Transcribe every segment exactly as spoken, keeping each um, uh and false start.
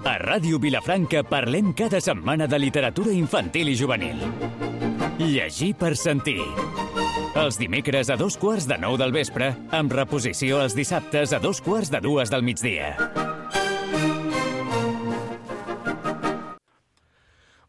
A Ràdio Vilafranca parlem cada setmana de literatura infantil i juvenil. Llegir per sentir. Els dimecres a dos quarts de nou del vespre, amb reposició els dissabtes a dos quarts de dues del migdia.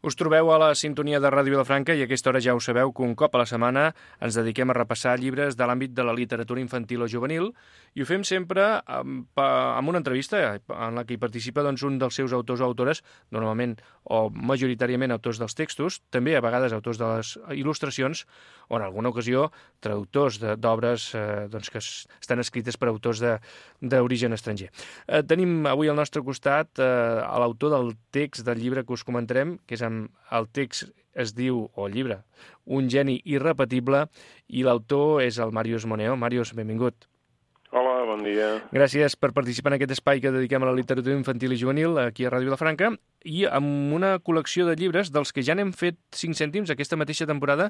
Us trobeu a la sintonia de Ràdio Vilafranca i a aquesta hora ja ho sabeu que un cop a la setmana ens dediquem a repassar llibres de l'àmbit de la literatura infantil o juvenil i ho fem sempre amb, amb una entrevista en la que hi participa doncs, un dels seus autors o autores, normalment o majoritàriament autors dels textos, també a vegades autors de les il·lustracions o en alguna ocasió traductors d'obres eh, doncs, que estan escrites per autors d'origen estranger. Eh, tenim avui al nostre costat eh, l'autor del text del llibre que us comentarem, que és amb el text es diu, o el llibre, Un geni irrepetible, i l'autor és el Màrius Moneo. Màrius, benvingut. Hola, bon dia. Gràcies per participar en aquest espai que dediquem a la literatura infantil i juvenil aquí a Ràdio Vilafranca i amb una col·lecció de llibres dels que ja n'hem fet cinc cèntims aquesta mateixa temporada,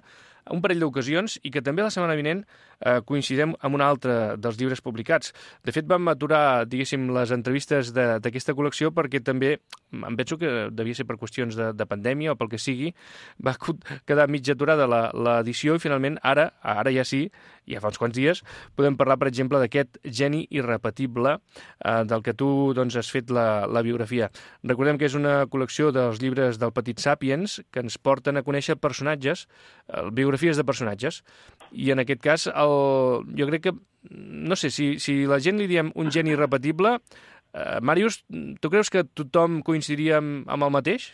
un parell d'ocasions, i que també la setmana vinent eh, coincidirem amb un altre dels llibres publicats. De fet, vam aturar, diguéssim, les entrevistes d'aquesta col·lecció perquè també, em penso que devia ser per qüestions de, de pandèmia o pel que sigui, va quedar mig aturada l'edició i finalment ara, ara ja sí, ja fa uns quants dies, podem parlar, per exemple, d'aquest geni irrepetible eh, del que tu doncs, has fet la, la biografia. Recordem que és una col·lecció dels llibres del Petit Sàpiens que ens porten a conèixer personatges, eh, biografies de personatges, i en aquest cas el, jo crec que, no sé, si, si la gent li diem un geni irrepetible, eh, Màrius, tu creus que tothom coincidiria amb, amb el mateix?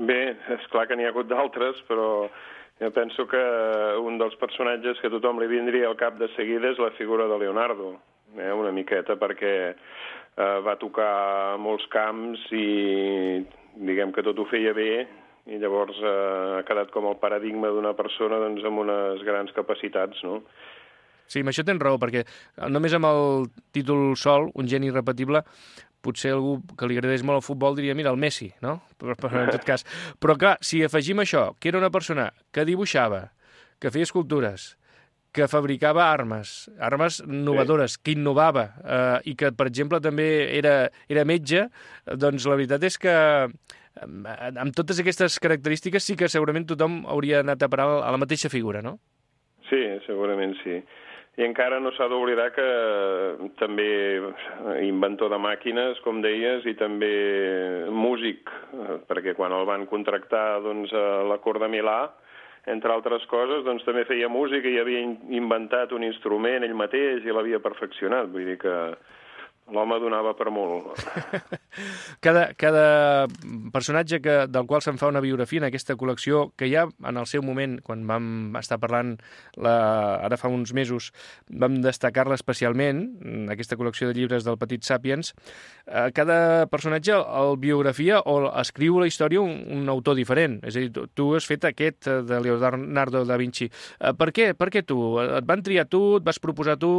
Bé, és clar que n'hi ha hagut d'altres, però jo penso que un dels personatges que tothom li vindria al cap de seguida és la figura de Leonardo, eh, una miqueta, perquè eh, va tocar molts camps i diguem que tot ho feia bé i llavors eh, ha quedat com el paradigma d'una persona doncs, amb unes grans capacitats, no? Sí, amb això tens raó, perquè només amb el títol sol, un geni irrepetible, potser algú que li agradés molt el futbol diria, mira, el Messi, no? Però, però en tot cas. Però clar, si afegim això, que era una persona que dibuixava, que feia escultures, que fabricava armes, armes innovadores, sí, que innovava, eh, i que, per exemple, també era, era metge, doncs la veritat és que amb totes aquestes característiques sí que segurament tothom hauria anat a parar a la mateixa figura, no? Sí, segurament sí. I encara no s'ha d'oblidar que també inventor de màquines, com deies, i també músic, perquè quan el van contractar doncs, a la cort de Milà, entre altres coses, doncs també feia música i havia inventat un instrument ell mateix i l'havia perfeccionat. Vull dir que l'home donava per molt. Cada, cada personatge que, del qual se'n fa una biografia en aquesta col·lecció, que ja en el seu moment, quan vam estar parlant la, ara fa uns mesos, vam destacar-la especialment, aquesta col·lecció de llibres del Petit Sàpiens, eh, cada personatge el biografia o escriu la història un, un autor diferent. És a dir, tu, tu has fet aquest de Leonardo da Vinci. Eh, per què? Per què tu? Et van triar tu? Et vas proposar tu?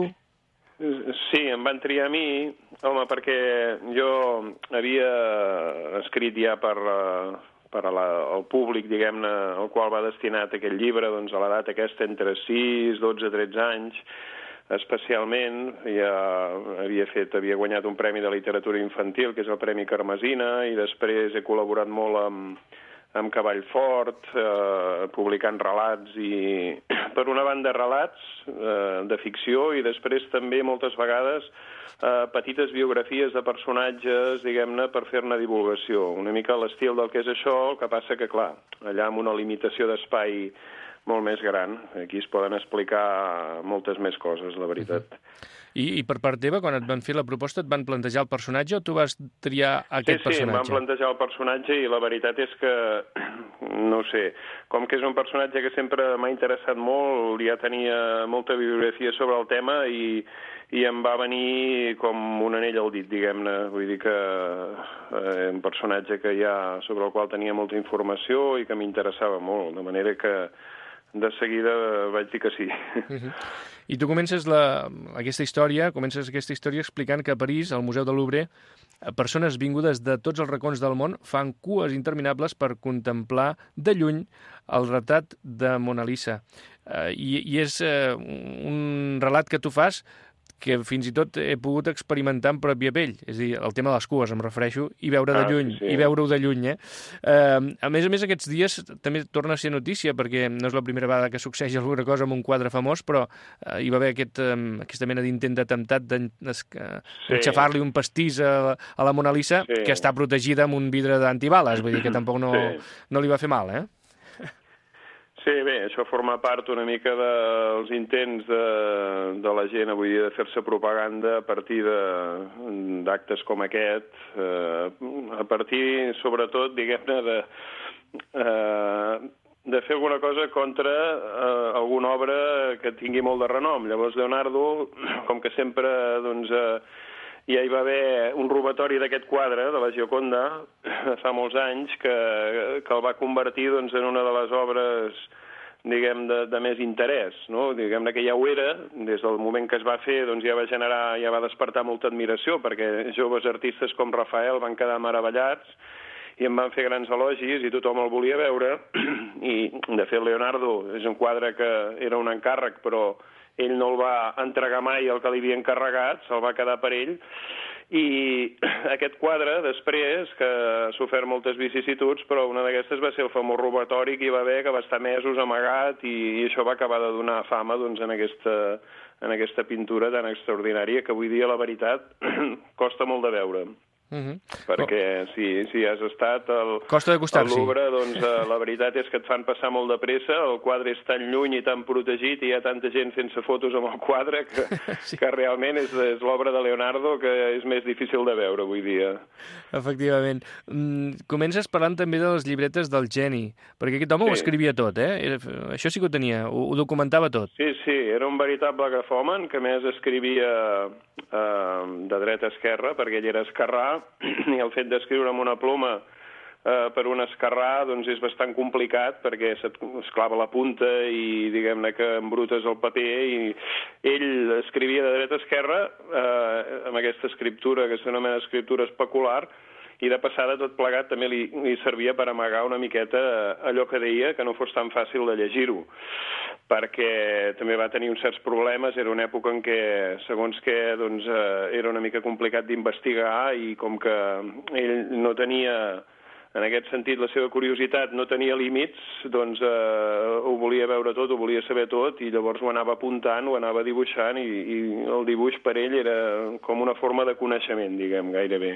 Sí, em van triar a mi, home, perquè jo havia escrit ja per, per a la, al públic, diguem-ne, al qual va destinat aquest llibre, doncs a l'edat aquesta entre sis, dotze, tretze anys, especialment, ja havia fet, havia guanyat un premi de literatura infantil, que és el Premi Carmesina, i després he col·laborat molt amb amb Cavall Fort, eh, publicant relats, i per una banda relats eh, de ficció i després també moltes vegades eh, petites biografies de personatges, diguem-ne, per fer-ne divulgació. Una mica l'estil del que és això, el que passa que, clar, allà amb una limitació d'espai molt més gran, aquí es poden explicar moltes més coses, la veritat. Uh-huh. I, I per part teva, quan et van fer la proposta, et van plantejar el personatge o tu vas triar aquest sí, sí, personatge? Sí, em van plantejar el personatge i la veritat és que, no sé, com que és un personatge que sempre m'ha interessat molt, ja tenia molta bibliografia sobre el tema i, i em va venir com un anell al dit, diguem-ne. Vull dir que eh, un personatge que ja, sobre el qual tenia molta informació i que m'interessava molt, de manera que de seguida vaig dir que sí. Uh-huh. I tu comences la, aquesta història, comences aquesta història explicant que a París, al Museu del Louvre, persones vingudes de tots els racons del món fan cues interminables per contemplar de lluny el retrat de Mona Lisa. Uh, i, I és uh, un relat que tu fas que fins i tot he pogut experimentar en pròpia pell. És a dir, el tema de les cues, em refereixo, i veure de Ah, lluny, sí. i veure-ho de lluny, eh? eh? A més a més, aquests dies també torna a ser notícia, perquè no és la primera vegada que succeeix alguna cosa amb un quadre famós, però eh, hi va haver aquest, eh, aquesta mena d'intent d'atemptat d'enxafar-li sí. un pastís a, a la Mona Lisa, sí. que està protegida amb un vidre d'antibales, vull dir que tampoc no, sí. no li va fer mal, eh? Sí, bé, això forma part una mica dels intents de, de la gent avui dia de fer-se propaganda a partir d'actes com aquest, eh, a partir, sobretot, diguem-ne, de, eh, de fer alguna cosa contra eh, alguna obra que tingui molt de renom. Llavors, Leonardo, com que sempre, doncs, eh, ja hi va haver un robatori d'aquest quadre, de la Gioconda, fa molts anys, que, que el va convertir doncs, en una de les obres, diguem, de, de més interès, no? Diguem-ne que ja ho era, des del moment que es va fer, doncs ja va generar, ja va despertar molta admiració, perquè joves artistes com Rafael van quedar meravellats i em van fer grans elogis i tothom el volia veure. I, de fet, Leonardo és un quadre que era un encàrrec, però ell no el va entregar mai el que li havia encarregat, se'l va quedar per ell, i aquest quadre, després, que ha sofert moltes vicissituds, però una d'aquestes va ser el famós robatori que hi va haver, que va estar mesos amagat, i, i això va acabar de donar fama doncs, en, aquesta, en aquesta pintura tan extraordinària, que avui dia, la veritat, costa molt de veure. Uh-huh. Perquè oh. si, si has estat al, al Louvre, doncs uh, la veritat és que et fan passar molt de pressa, el quadre és tan lluny i tan protegit i hi ha tanta gent fent-se fotos amb el quadre que, sí. que realment és, és l'obra de Leonardo que és més difícil de veure avui dia. Efectivament. Mm, comences parlant també de les llibretes del geni, perquè aquest home sí. ho escrivia tot, eh? Era, això sí que ho tenia, ho, ho documentava tot. Sí, sí, era un veritable grafòman que més escrivia eh, de dreta a esquerra, perquè ell era esquerrà, i el fet d'escriure amb una ploma eh, per un esquerrà doncs és bastant complicat perquè se't clava la punta i diguem-ne que embrutes el paper, i ell escrivia de dreta a esquerra eh, amb aquesta escriptura que s'anomena escriptura especular, i de passada tot plegat també li, li servia per amagar una miqueta allò que deia, que no fos tan fàcil de llegir-ho, perquè també va tenir uns certs problemes. Era una època en què, segons què, doncs, eh, era una mica complicat d'investigar, i com que ell no tenia, en aquest sentit, la seva curiositat no tenia límits, doncs eh, ho volia veure tot, ho volia saber tot, i llavors ho anava apuntant, ho anava dibuixant, i, i el dibuix per ell era com una forma de coneixement, diguem, gairebé.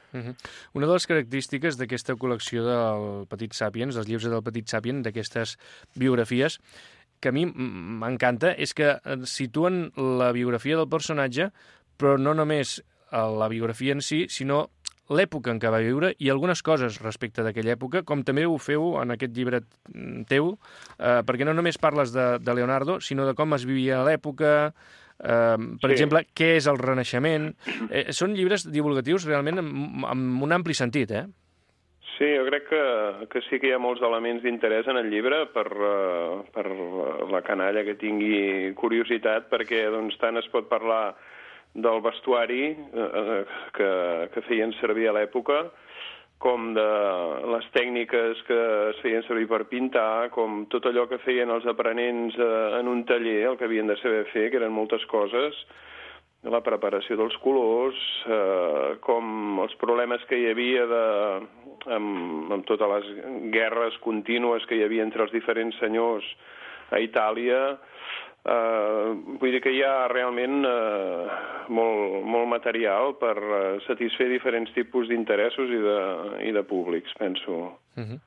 Uh-huh. Una de les característiques d'aquesta col·lecció del Petit Sapiens, dels llibres del Petit Sapiens, d'aquestes biografies, que a mi m'encanta, és que situen la biografia del personatge, però no només la biografia en si, sinó l'època en què va viure i algunes coses respecte d'aquella època, com també ho feu en aquest llibre teu, eh, perquè no només parles de, de Leonardo, sinó de com es vivia a l'època, eh, per sí. exemple, què és el Renaixement. Eh, són llibres divulgatius realment amb, amb un ampli sentit, eh? Sí, jo crec que, que sí que hi ha molts elements d'interès en el llibre per, uh, per la canalla que tingui curiositat, perquè doncs, tant es pot parlar del vestuari uh, que, que feien servir a l'època, com de les tècniques que es feien servir per pintar, com tot allò que feien els aprenents uh, en un taller, el que havien de saber fer, que eren moltes coses, la preparació dels colors, eh, com els problemes que hi havia de, amb, amb totes les guerres contínues que hi havia entre els diferents senyors a Itàlia. Eh, vull dir que hi ha realment eh, molt, molt material per eh, satisfer diferents tipus d'interessos i, de, i de públics, penso. Uh-huh.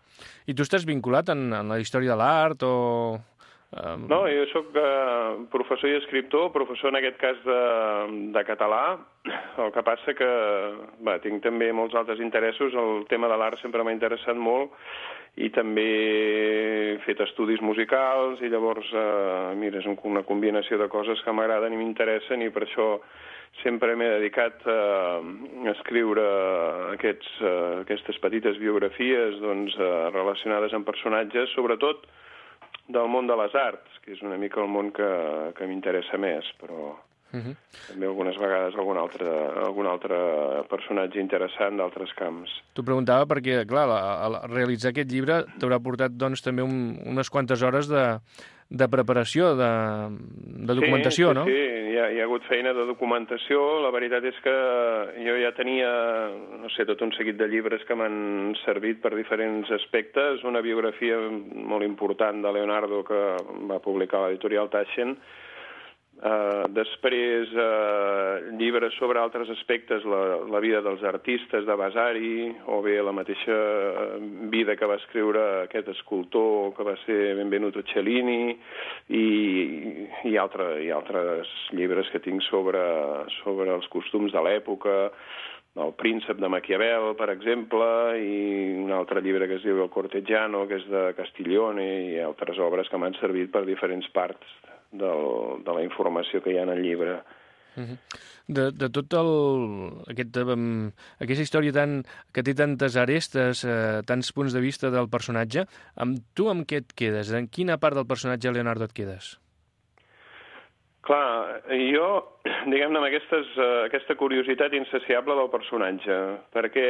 I tu estàs vinculat en, en la història de l'art o... Um... No, jo soc uh, professor i escriptor, professor en aquest cas de, de català. El que passa que va, tinc també molts altres interessos. El tema de l'art sempre m'ha interessat molt, i també he fet estudis musicals, i llavors, uh, mira, és una combinació de coses que m'agraden i m'interessen, i per això sempre m'he dedicat uh, a escriure aquests, uh, aquestes petites biografies doncs, uh, relacionades amb personatges, sobretot del món de les arts, que és una mica el món que, que m'interessa més, però uh-huh. també algunes vegades algun altre, algun altre personatge interessant d'altres camps. T'ho preguntava perquè, clar, a, a realitzar aquest llibre t'haurà portat doncs, també un, unes quantes hores de, de preparació, de, de documentació, sí, no? Sí, sí, hi ha, hi ha hagut feina de documentació. La veritat és que jo ja tenia, no sé, tot un seguit de llibres que m'han servit per diferents aspectes. Una biografia molt important de Leonardo que va publicar l'editorial Taschen. Uh, després, uh, llibres sobre altres aspectes, la, la vida dels artistes de Vasari, o bé la mateixa vida que va escriure aquest escultor que va ser Benvenuto Cellini, i, i, altre, i altres llibres que tinc sobre, sobre els costums de l'època, El príncep de Maquiavel, per exemple, i un altre llibre que es diu El Cortegiano, que és de Castiglione, i altres obres que m'han servit per diferents parts del, de la informació que hi ha en el llibre. Uh-huh. De, de tot el, aquest, um, aquesta història tan, que té tantes arestes, eh, tants punts de vista del personatge, amb tu amb què et quedes? En quina part del personatge Leonardo et quedes? Clar, jo, diguem-ne, amb aquestes, uh, aquesta curiositat insaciable del personatge, perquè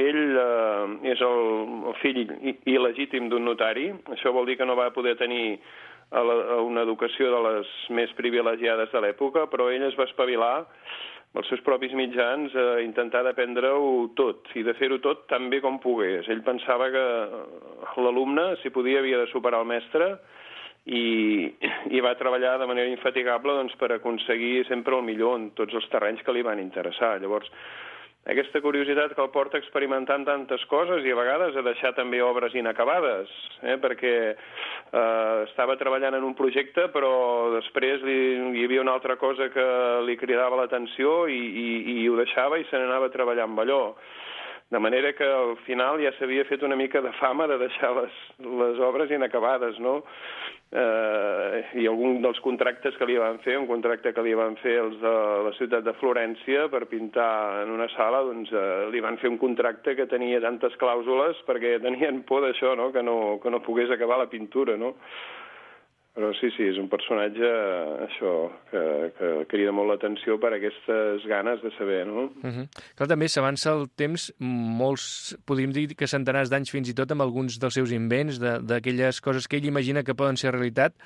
ell uh, és el, el fill il·legítim d'un notari. Això vol dir que no va poder tenir a la, a una educació de les més privilegiades de l'època, però ell es va espavilar amb els seus propis mitjans a intentar d'aprendre-ho tot, i de fer-ho tot tan bé com pogués. Ell pensava que l'alumne, si podia, havia de superar el mestre, i, i va treballar de manera infatigable doncs, per aconseguir sempre el millor en tots els terrenys que li van interessar. Llavors, aquesta curiositat que el porta experimentant tantes coses i a vegades a deixar també obres inacabades, eh? perquè eh, estava treballant en un projecte però després li, hi havia una altra cosa que li cridava l'atenció i, i, i ho deixava i se n'anava a treballar amb allò. De manera que al final ja s'havia fet una mica de fama de deixar les, les obres inacabades, no? Eh, I algun dels contractes que li van fer, un contracte que li van fer els de la ciutat de Florència per pintar en una sala, doncs eh, li van fer un contracte que tenia tantes clàusules perquè tenien por d'això, no? Que no, que no pogués acabar la pintura, no? Però sí, sí, és un personatge, això, que, que crida molt l'atenció per aquestes ganes de saber, no? Uh-huh. Clar, també s'avança el temps, molts, podríem dir que centenars d'anys fins i tot, amb alguns dels seus invents, d'aquelles coses que ell imagina que poden ser realitat,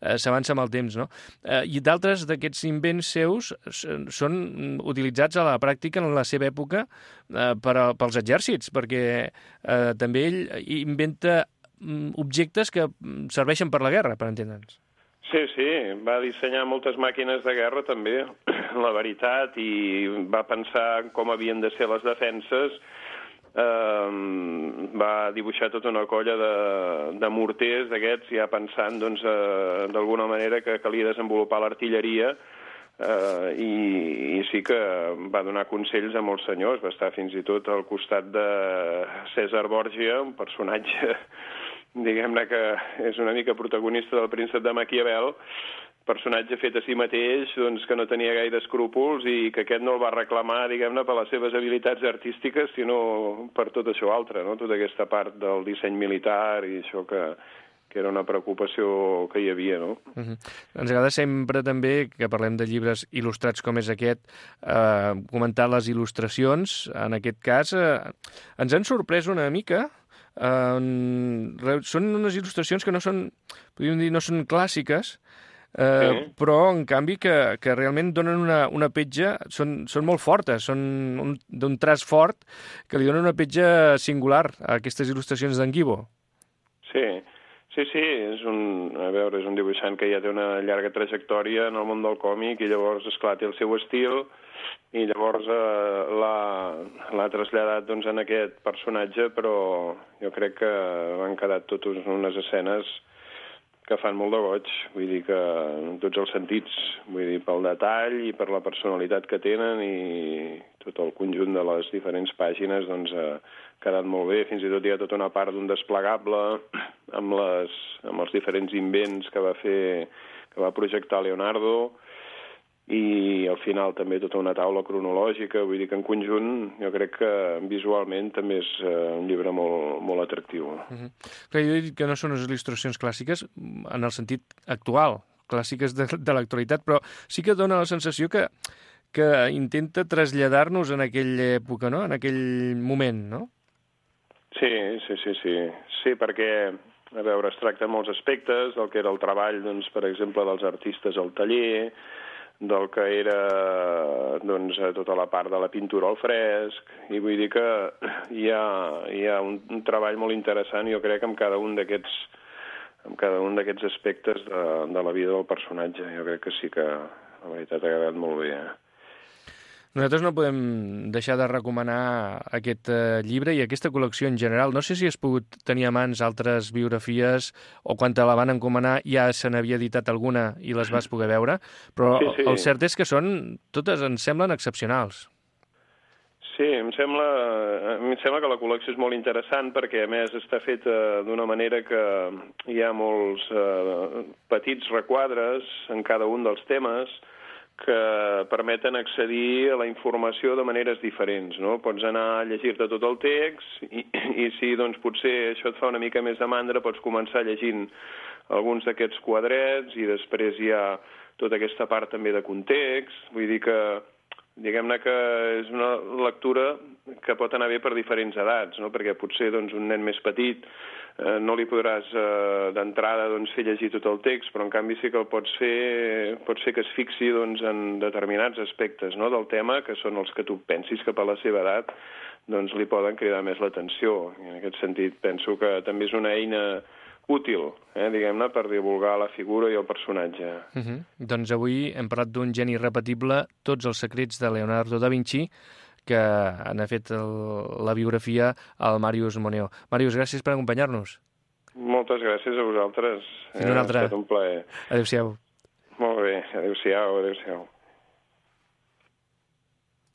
eh, s'avança amb el temps, no? Eh, I d'altres d'aquests invents seus són utilitzats a la pràctica en la seva època eh, per a, pels exèrcits, perquè eh, també ell inventa objectes que serveixen per la guerra, per entendre'ns. Sí, sí, va dissenyar moltes màquines de guerra també, la veritat, i va pensar com havien de ser les defenses, eh, va dibuixar tota una colla de, de morters d'aquests, ja pensant doncs, eh, d'alguna manera que calia desenvolupar l'artilleria, Uh, i, i sí que va donar consells a molts senyors, va estar fins i tot al costat de Cèsar Borgia, un personatge, diguem-ne que és una mica protagonista del príncep de Maquiavel, personatge fet a si mateix, doncs, que no tenia gaire escrúpols i que aquest no el va reclamar, diguem-ne, per les seves habilitats artístiques, sinó per tot això altre, no? Tota aquesta part del disseny militar i això que... que era una preocupació que hi havia, no? Uh-huh. Ens agrada sempre també, que parlem de llibres il·lustrats com és aquest, eh, comentar les il·lustracions. En aquest cas, eh, ens han sorprès una mica. Eh, són unes il·lustracions que no són, podríem dir, no són clàssiques, eh, sí. Però, en canvi, que, que realment donen una, una petja, són, són molt fortes, són d'un traç fort, que li donen una petja singular a aquestes il·lustracions d'en Guibo. Sí, Sí, sí, és un, a veure, és un dibuixant que ja té una llarga trajectòria en el món del còmic i llavors, esclar, té el seu estil i llavors eh, l'ha traslladat doncs, en aquest personatge, però jo crec que han quedat totes unes escenes que fan molt de goig, vull dir que en tots els sentits, vull dir, pel detall i per la personalitat que tenen i tot el conjunt de les diferents pàgines, doncs, ha quedat molt bé. Fins i tot hi ha tota una part d'un desplegable amb, les, amb els diferents invents que va fer, que va projectar Leonardo, i al final també tota una taula cronològica, vull dir que en conjunt jo crec que visualment també és un llibre molt, molt atractiu. Uh-huh. Clar, jo he dit que no són unes il·lustracions clàssiques en el sentit actual, clàssiques de, de l'actualitat, però sí que dona la sensació que, que intenta traslladar-nos en aquella època, no? En aquell moment, no? Sí, sí, sí, sí. Sí, perquè, a veure, es tracta molts aspectes, del que era el treball, doncs, per exemple, dels artistes al taller, del que era doncs, tota la part de la pintura al fresc, i vull dir que hi ha, hi ha un, un treball molt interessant, jo crec, amb cada un d'aquests amb cada un d'aquests aspectes de, de la vida del personatge. Jo crec que sí que, la veritat, ha agradat molt bé. Eh? Nosaltres no podem deixar de recomanar aquest eh, llibre i aquesta col·lecció en general. No sé si has pogut tenir a mans altres biografies o quan te la van encomanar ja se n'havia editat alguna i les vas poder veure, però sí, sí. El cert és que són, totes ens semblen excepcionals. Sí, em sembla, em sembla que la col·lecció és molt interessant perquè, a més, està feta d'una manera que hi ha molts eh, petits requadres en cada un dels temes que permeten accedir a la informació de maneres diferents, no? Pots anar a llegir-te tot el text i, i si doncs, potser això et fa una mica més de mandra, pots començar llegint alguns d'aquests quadrets i després hi ha tota aquesta part també de context. Vull dir que, diguem-ne que és una lectura que pot anar bé per diferents edats, no? Perquè potser doncs, un nen més petit eh, no li podràs eh, d'entrada doncs, fer llegir tot el text, però en canvi sí que el pots fer, pots fer que es fixi doncs, en determinats aspectes, no? Del tema, que són els que tu pensis que per la seva edat doncs, li poden cridar més l'atenció. En aquest sentit penso que també és una eina útil, eh, diguem-ne, per divulgar la figura i el personatge. Uh -huh. Doncs avui hem parlat d'un geni irrepetible, Tots els secrets de Leonardo da Vinci, que n'ha fet el, la biografia al Màrius Moneo. Màrius, gràcies per acompanyar-nos. Moltes gràcies a vosaltres. Fins una altra. Ha estat un plaer. Adéu-siau. Molt bé, adéu-siau, adéu-siau.